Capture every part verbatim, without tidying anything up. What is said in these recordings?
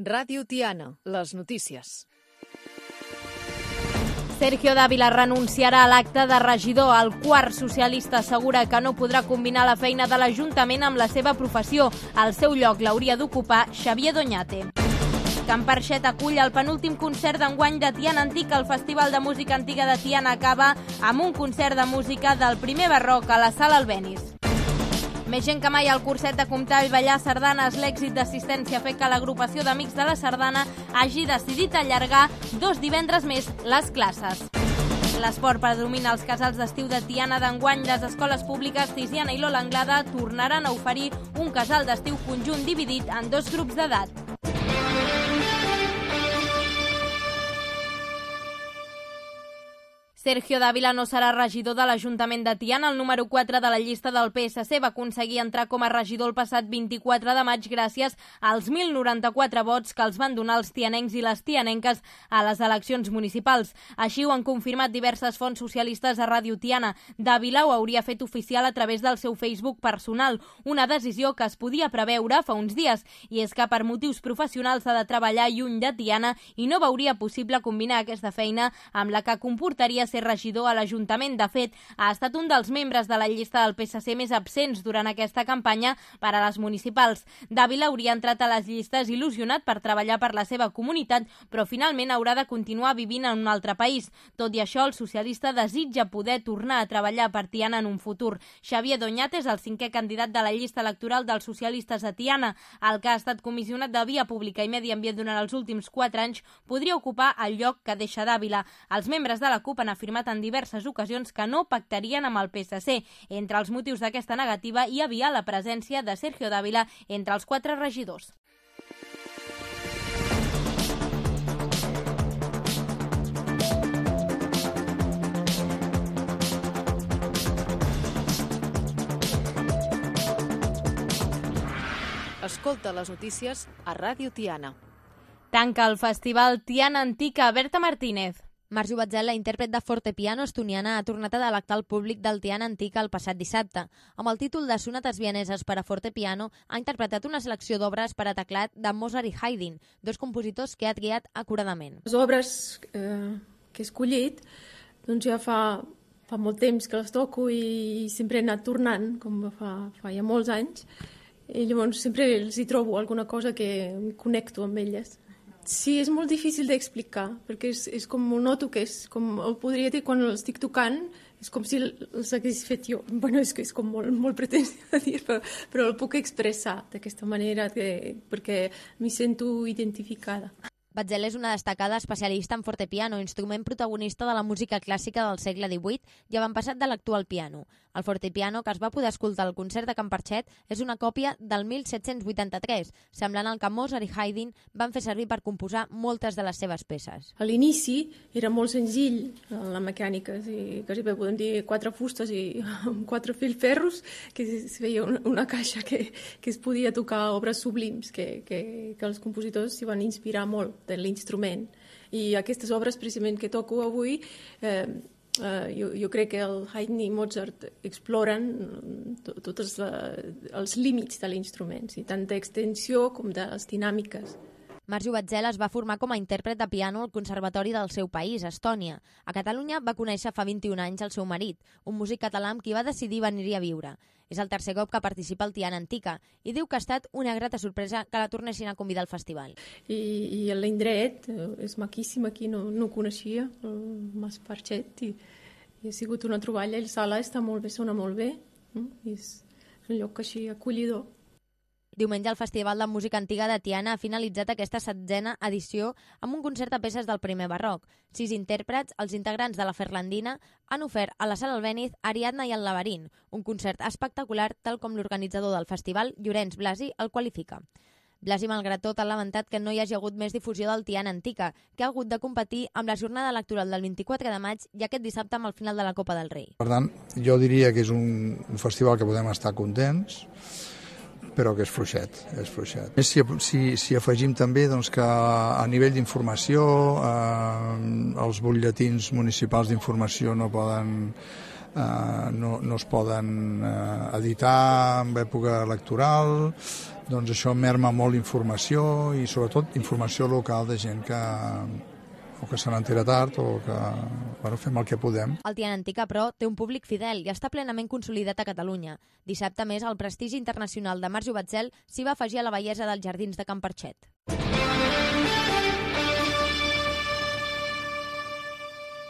Ràdio Tiana, les notícies. Sergio Dávila renunciarà a l'acte de regidor. El quart socialista assegura que no podrà combinar la feina de l'Ajuntament amb la seva professió. El seu lloc l'hauria d'ocupar Xavier Doñate. Can Parxet acull el penúltim concert d'enguany de Tiana Antic. El Festival de Música Antiga de Tiana acaba amb un concert de música del primer barroc a la Sala Albéniz. Més gent que mai al curset de comptar i ballar sardanes. L'èxit d'assistència ha fet que l'agrupació d'Amics de la Sardana hagi decidit allargar dos divendres més les classes. L'esport predomina als casals d'estiu de Tiana d'enguany. Les escoles públiques Tiziana i Lola Anglada tornaran a oferir un casal d'estiu conjunt dividit en dos grups d'edat. Sergio Dávila no serà regidor de l'Ajuntament de Tiana. El número quatre de la llista del P S C va aconseguir entrar com a regidor el passat vint-i-quatre de maig gràcies als mil noranta-quatre vots que els van donar els tianencs i les tianenques a les eleccions municipals. Així ho han confirmat diverses fonts socialistes a Ràdio Tiana. Dávila ho hauria fet oficial a través del seu Facebook personal, una decisió que es podia preveure fa uns dies, i és que per motius professionals ha de treballar lluny de Tiana i no veuria possible combinar aquesta feina amb la que comportaria ser regidor a l'Ajuntament. De fet, ha estat un dels membres de la llista del P S C més absents durant aquesta campanya per a les municipals. Dávila hauria entrat a les llistes il·lusionat per treballar per la seva comunitat, però finalment haurà de continuar vivint en un altre país. Tot i això, el socialista desitja poder tornar a treballar per Tiana en un futur. Xavier Doñate és el cinquè candidat de la llista electoral dels socialistes a Tiana. El que ha estat comissionat de Via Pública i Medi Ambient durant els últims quatre anys podria ocupar el lloc que deixa Dávila. Els membres de la CUP han afirmat en diverses ocasions que no pactarien amb el P S C. Entre els motius d'aquesta negativa hi havia la presència de Sergio Dávila entre els quatre regidors. Escolta les notícies a Ràdio Tiana. Tanca el festival Tiana Antica. Berta Martínez. Marjo Batzela, intèrpret de fortepiano estoniana, ha tornat a delectar el públic del Tiana Antica el passat dissabte. Amb el títol de Sonates vieneses per a fortepiano, ha interpretat una selecció d'obres per a teclat de Mozart i Haydn, dos compositors que ha triat acuradament. Les obres eh, que he escollit doncs ja fa, fa molt temps que les toco i sempre he anat tornant, com fa, fa ja molts anys, i llavors sempre els hi trobo alguna cosa que em connecto amb elles. Sí, és molt difícil d'explicar, perquè és, és com ho noto que és, com el podria dir quan els estic tocant, és com si els hagués fet jo. Bueno, és que és com molt, molt pretensió de dir, però, però el puc expressar d'aquesta manera que, perquè m'hi sento identificada. Batzela és una destacada especialista en fortepiano, instrument protagonista de la música clàssica del segle divuit i avantpassat de l'actual piano. El fortepiano, que es va poder escoltar al concert de Can Parxet, és una còpia del mil set-cents vuitanta-tres, semblant al que Mozart i Haydn van fer servir per composar moltes de les seves peces. A l'inici era molt senzill la mecànica, sí, quasi bé podem dir quatre fustes i quatre filferros, que es feia una caixa que, que es podia tocar obres sublims, que, que, que els compositors s'hi van inspirar molt de l'instrument. I aquestes obres precisament que toco avui, eh, eh, jo, jo crec que el Haydn i Mozart exploren tots els límits de l'instrument, sí, tant d'extensió com de les dinàmiques. Marjo Batzela es va formar com a intèrpret de piano al conservatori del seu país, Estònia. A Catalunya va conèixer fa vint-i-un anys el seu marit, un músic català amb qui va decidir venir-hi a viure. És el tercer cop que participa al Tiana Antica i diu que ha estat una grata sorpresa que la tornessin a convidar al festival. I, i l'indret és maquíssim, aquí no, no coneixia, el Mas Parxet, i, i ha sigut una troballa. La sala està molt bé, sona molt bé, no? I és un lloc així acollidor. Diumenge el Festival de Música Antiga de Tiana ha finalitzat aquesta setzena edició amb un concert de peces del primer barroc. Sis intèrprets, els integrants de la Ferlandina, han ofert a la Sala Albéniz Ariadna i el Laberint, un concert espectacular tal com l'organitzador del festival, Llorenç Blasi, el qualifica. Blasi, malgrat tot, ha lamentat que no hi hagi hagut més difusió del Tiana Antica, que ha hagut de competir amb la jornada electoral del vint-i-quatre de maig i aquest dissabte amb el final de la Copa del Rei. Per tant, jo diria que és un, un festival que podem estar contents, però que és fluixet, és fluixet. Si, si, si afegim també doncs, que a nivell d'informació eh, els butlletins municipals d'informació no poden eh, no, no es poden eh, editar en època electoral, doncs això merma molt informació i sobretot informació local de gent que o que se n'entera tard o que bueno, fem el que podem. El Tiana Antica, però, té un públic fidel i està plenament consolidat a Catalunya. Dissabte, més, el prestigi internacional de Marjo Batzel s'hi va afegir a la bellesa dels jardins de Can Perxet.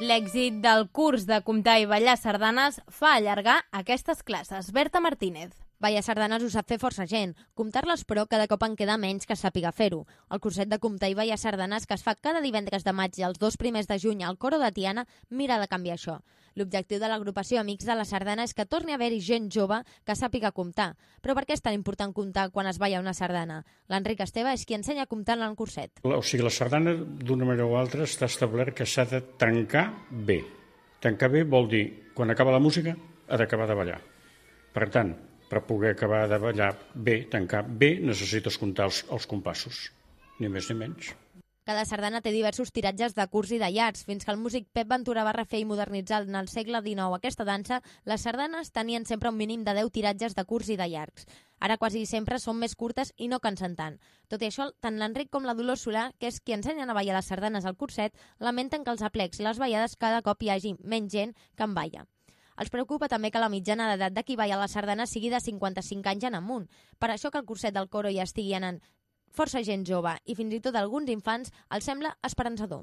L'èxit del curs de comptar i ballar sardanes fa allargar aquestes classes. Berta Martínez. Ballar sardanes ho sap fer força gent. Comptar-les, però, cada cop en queda menys que sàpiga fer-ho. El curset de comptar i ballar sardanes que es fa cada divendres de maig i els dos primers de juny al Coro de Tiana mira de canviar això. L'objectiu de l'agrupació Amics de la Sardana és que torni a haver-hi gent jove que sàpiga comptar. Però per què és tan important comptar quan es balla una sardana? L'Enric Esteve és qui ensenya a comptar en el curset. O sigui, la sardana, d'una manera o altra, està establert que s'ha de tancar bé. Tancar bé vol dir, quan acaba la música, ha d'acabar de ballar. Per tant, per poder acabar de ballar bé, tancar bé, necessites comptar els, els compassos, ni més ni menys. Cada sardana té diversos tiratges de curts i de llargs. Fins que el músic Pep Ventura va refer i modernitzar en el segle dinou aquesta dansa, les sardanes tenien sempre un mínim de deu tiratges de curts i de llargs. Ara quasi sempre són més curtes i no cansen tant. Tot i això, tant l'Enric com la Dolors Solà, que és qui ensenyen a ballar les sardanes al curset, lamenten que els aplecs i les ballades cada cop hi hagi menys gent que en balla. Els preocupa també que la mitjana d'edat de qui balla la sardana sigui de cinquanta-cinc anys en amunt. Per això que el curset del coro hi estigui anant força gent jove i fins i tot alguns infants els sembla esperançador.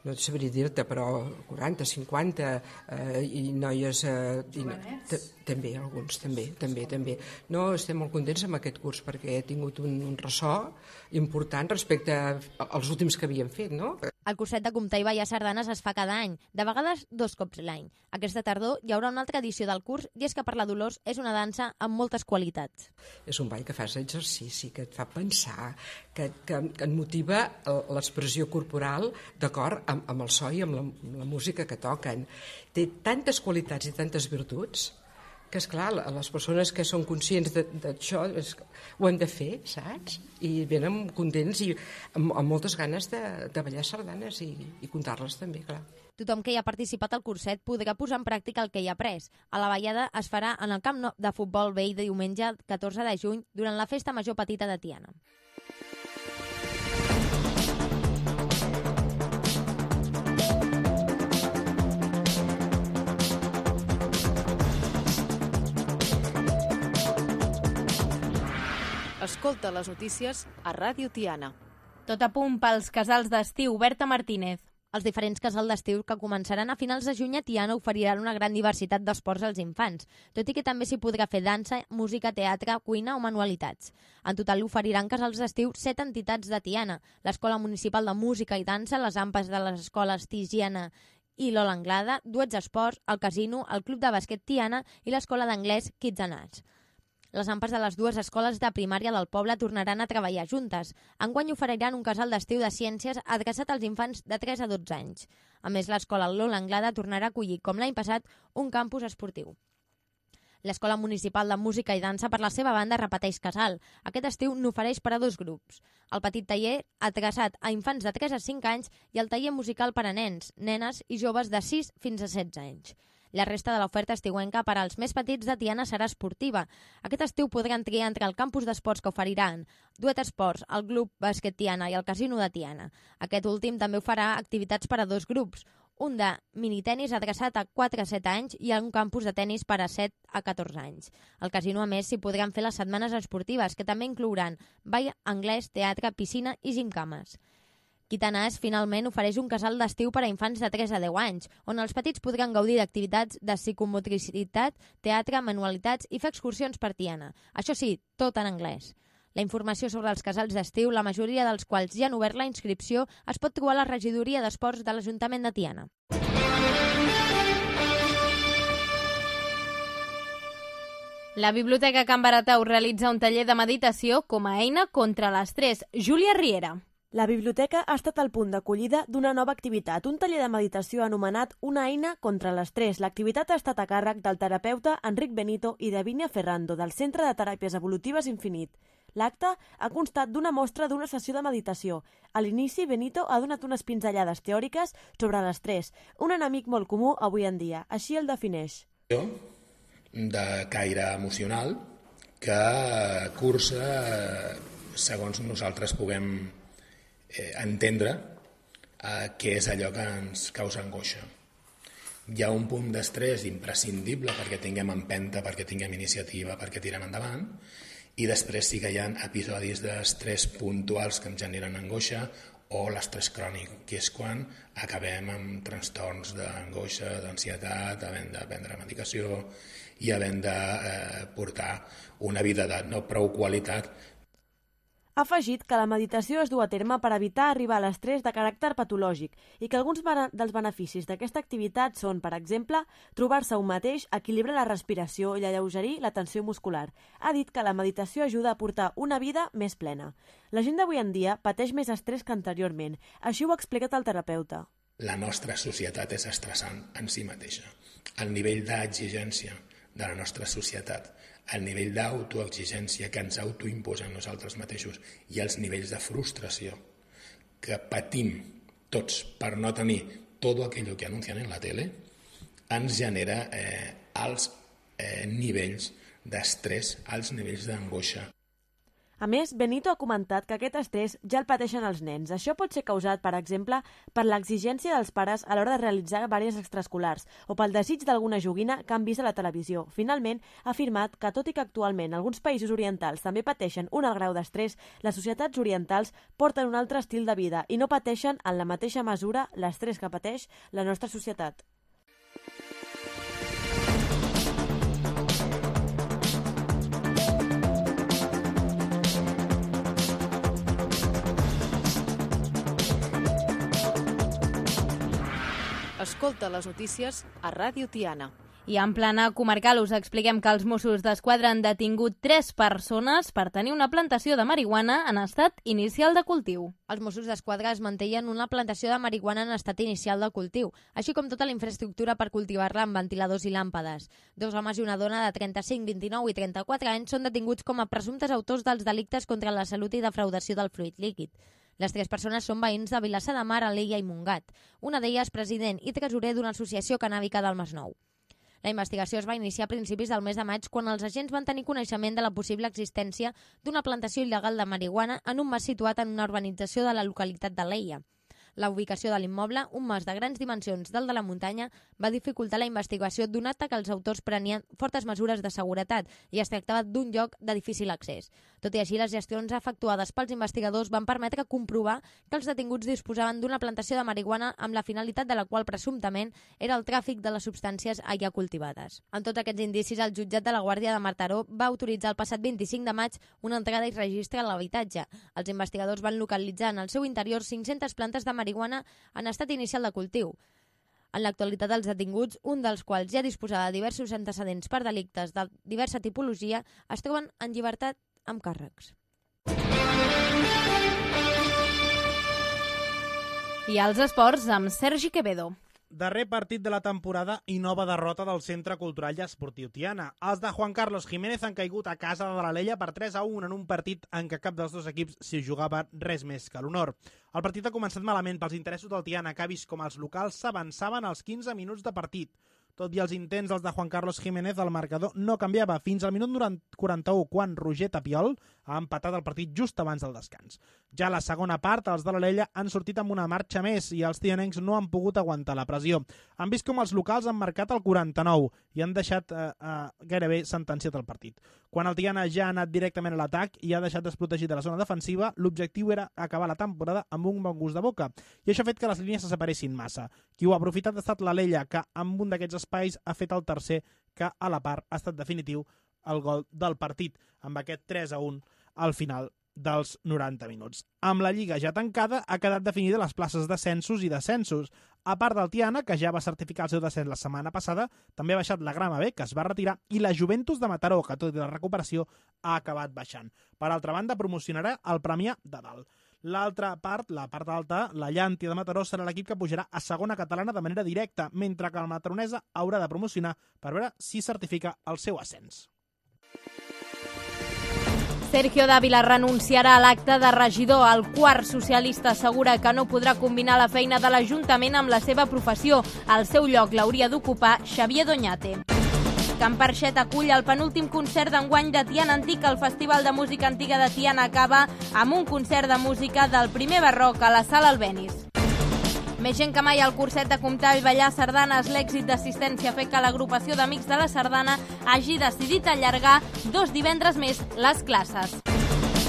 No et sabria dir-te, però quaranta, cinquanta eh, i noies... Eh, i no, també, alguns, també, també, també. No, estem molt contents amb aquest curs perquè he tingut un, un ressò important respecte als últims que havíem fet, no? El curset de comptar i ballar sardanes es fa cada any, de vegades dos cops l'any. Aquesta tardor hi haurà una altra edició del curs i és que per la Dolors és una dansa amb moltes qualitats. És un ball que fas exercici, que et fa pensar, que, que, que et motiva l'expressió corporal d'acord amb, amb el so i amb la, amb la música que toquen. Té tantes qualitats i tantes virtuts que, esclar, les persones que són conscients d'això ho han de fer, saps? I venen contents i amb, amb moltes ganes de, de ballar sardanes i, i comptar-les també, clar. Tothom que hi ha participat al curset podrà posar en pràctica el que hi ha après. A la ballada es farà en el camp de futbol vell de diumenge catorze de juny durant la Festa Major Petita de Tiana. Escolta les notícies a Ràdio Tiana. Tot a punt pels casals d'estiu. Berta Martínez. Els diferents casals d'estiu que començaran a finals de juny a Tiana oferiran una gran diversitat d'esports als infants, tot i que també s'hi podrà fer dansa, música, teatre, cuina o manualitats. En total oferiran casals d'estiu set entitats de Tiana, l'Escola Municipal de Música i Dansa, les AMPAs de les escoles Tigiana i l'Ola Anglada, Duets Esports, el Casino, el Club de Bàsquet Tiana i l'Escola d'Anglès Kids and Arts. Les AMPAs de les dues escoles de primària del poble tornaran a treballar juntes. Enguany oferiran un casal d'estiu de ciències adreçat als infants de tres a dotze anys. A més, l'escola Lola Anglada tornarà a acollir, com l'any passat, un campus esportiu. L'Escola Municipal de Música i Dansa, per la seva banda, repeteix casal. Aquest estiu n'ofereix per a dos grups. El petit taller adreçat a infants de tres a cinc anys i el taller musical per a nens, nenes i joves de sis fins a setze anys. La resta de l'oferta estiuenca per als més petits de Tiana serà esportiva. Aquest estiu podran triar entre el campus d'esports que oferiran Duet Esports, el Club Bàsquet Tiana i el Casino de Tiana. Aquest últim també ho farà activitats per a dos grups, un de minitenis adreçat a quatre a set anys i un campus de tenis per a set a catorze anys. Al Casino, a més, s'hi podran fer les setmanes esportives, que també inclouran ball, anglès, teatre, piscina i gimcames. Quitanàs finalment ofereix un casal d'estiu per a infants de tres a deu anys, on els petits podran gaudir d'activitats de psicomotricitat, teatre, manualitats i fer excursions per Tiana. Això sí, tot en anglès. La informació sobre els casals d'estiu, la majoria dels quals ja han obert la inscripció, es pot trobar a la regidoria d'esports de l'Ajuntament de Tiana. La Biblioteca Can Baratau realitza un taller de meditació com a eina contra l'estrès. Júlia Riera. La biblioteca ha estat el punt d'acollida d'una nova activitat, un taller de meditació anomenat Una eina contra l'estrès. L'activitat ha estat a càrrec del terapeuta Enric Benito i de Vínia Ferrando, del Centre de Teràpies Evolutives Infinit. L'acte ha constat d'una mostra d'una sessió de meditació. A l'inici, Benito ha donat unes pinzellades teòriques sobre l'estrès, un enemic molt comú avui en dia. Així el defineix. de caire emocional que cursa segons nosaltres puguem eh, entendre eh, què és allò que ens causa angoixa. Hi ha un punt d'estrès imprescindible perquè tinguem empenta, perquè tinguem iniciativa, perquè tirem endavant, i després sí que hi ha episodis d'estrès puntuals que ens generen angoixa o l'estrès crònic, que és quan acabem amb trastorns d'angoixa, d'ansietat, havent de prendre medicació i havent de eh, portar una vida de no prou qualitat. Ha afegit que la meditació es du a terme per evitar arribar a l'estrès de caràcter patològic i que alguns dels beneficis d'aquesta activitat són, per exemple, trobar-se un mateix, equilibrar la respiració i alleugerir la tensió muscular. Ha dit que la meditació ajuda a portar una vida més plena. La gent d'avui en dia pateix més estrès que anteriorment. Així ho ha explicat el terapeuta. La nostra societat és estressant en si mateixa. El nivell d'exigència de la nostra societat, el nivell d'autoexigència que ens autoimposem nosaltres mateixos i els nivells de frustració que patim tots per no tenir tot aquello que anuncien en la tele, ens genera eh, alts eh, nivells d'estrès, alts nivells d'angoixa. A més, Benito ha comentat que aquest estrès ja el pateixen els nens. Això pot ser causat, per exemple, per l'exigència dels pares a l'hora de realitzar vàries extraescolars o pel desig d'alguna joguina que han vist a la televisió. Finalment, ha afirmat que, tot i que actualment alguns països orientals també pateixen un alt grau d'estrès, les societats orientals porten un altre estil de vida i no pateixen en la mateixa mesura l'estrès que pateix la nostra societat. Escolta les notícies a Ràdio Tiana. I en plana comarcal us expliquem que els Mossos d'Esquadra han detingut tres persones per tenir una plantació de marihuana en estat inicial de cultiu. Els Mossos d'Esquadra es mantenien una plantació de marihuana en estat inicial de cultiu, així com tota la infraestructura per cultivar-la amb ventiladors i làmpades. Dos homes i una dona de trenta-cinc, vint-i-nou i trenta-quatre anys són detinguts com a presumptes autors dels delictes contra la salut i defraudació del fluid líquid. Les tres persones són veïns de Vilassar de Mar, Alella i Montgat. Una d'elles president i tresorer d'una associació cannàbica del Masnou. La investigació es va iniciar a principis del mes de maig quan els agents van tenir coneixement de la possible existència d'una plantació il·legal de marihuana en un mas situat en una urbanització de la localitat d'Alella. La ubicació de l'immoble, un mas de grans dimensions del de la muntanya, va dificultar la investigació donat que els autors prenien fortes mesures de seguretat i es tractava d'un lloc de difícil accés. Tot i així, les gestions efectuades pels investigadors van permetre comprovar que els detinguts disposaven d'una plantació de marihuana amb la finalitat de la qual presumptament era el tràfic de les substàncies allà cultivades. Amb tots aquests indicis, el jutjat de la Guàrdia de Mataró va autoritzar el passat vint-i-cinc de maig una entrada i registre a l'habitatge. Els investigadors van localitzar en el seu interior cinc-centes plantes de marihuana marihuana en estat inicial de cultiu. En l'actualitat, els detinguts, un dels quals ja disposava de diversos antecedents per delictes de diversa tipologia, es troben en llibertat amb càrrecs. I als esports amb Sergi Quevedo. Darrer partit de la temporada i nova derrota del Centre Cultural i Esportiu Tiana. Els de Juan Carlos Jiménez han caigut a casa de l'Alella per tres a un en un partit en què cap dels dos equips s'hi jugava res més que l'honor. El partit ha començat malament pels interessos del Tiana, que ha vist com els locals s'avançaven als quinze minuts de partit. Tot i els intents dels de Juan Carlos Jiménez, el marcador no canviava fins al minut quaranta-u, quan Roger Tapiol ha empatat el partit just abans del descans. Ja a la segona part, els de l'Alella han sortit amb una marxa més i els tianencs no han pogut aguantar la pressió. Han vist com els locals han marcat el quaranta-nou i han deixat eh, eh, gairebé sentenciat el partit. Quan el Tiana ja ha anat directament a l'atac i ha deixat desprotegit de la zona defensiva, l'objectiu era acabar la temporada amb un bon gust de boca, i això ha fet que les línies se separessin massa. Qui ho ha aprofitat ha estat l'Alella, que amb un d'aquests espais ha fet el tercer, que a la part ha estat definitiu el gol del partit, amb aquest tres a un al final dels noranta minuts. Amb la Lliga ja tancada, ha quedat definida les places d'ascensos i descensos. A part del Tiana, que ja va certificar el seu descens la setmana passada, també ha baixat la Grama B, que es va retirar, i la Juventus de Mataró, que tot i la recuperació ha acabat baixant. Per altra banda, promocionarà el Premià de dalt. L'altra part, la part alta, la Llàntia de Mataró, serà l'equip que pujarà a segona catalana de manera directa, mentre que el Mataronesa haurà de promocionar per veure si certifica el seu ascens. Sergio Dávila renunciarà a l'acte de regidor. El quart socialista assegura que no podrà combinar la feina de l'Ajuntament amb la seva professió. Al seu lloc l'hauria d'ocupar Xavier Doñate. Can Parxet acull el penúltim concert d'enguany de Tiana Antic. El Festival de Música Antiga de Tiana acaba amb un concert de música del primer barroc a la Sala Albéniz. Més gent que mai al curset de comptar i ballar sardanes. L'èxit d'assistència ha fet que l'agrupació d'Amics de la Sardana hagi decidit allargar dos divendres més les classes.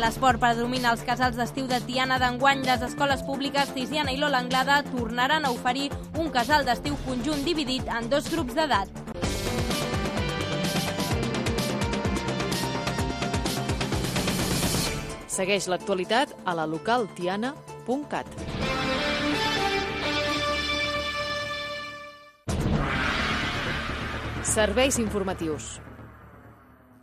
L'esport predomina als casals d'estiu de Tiana d'enguany. Les escoles públiques Tiziana i Lola Anglada tornaran a oferir un casal d'estiu conjunt dividit en dos grups d'edat. Segueix l'actualitat a la local tiana punt cat. Serveis informatius.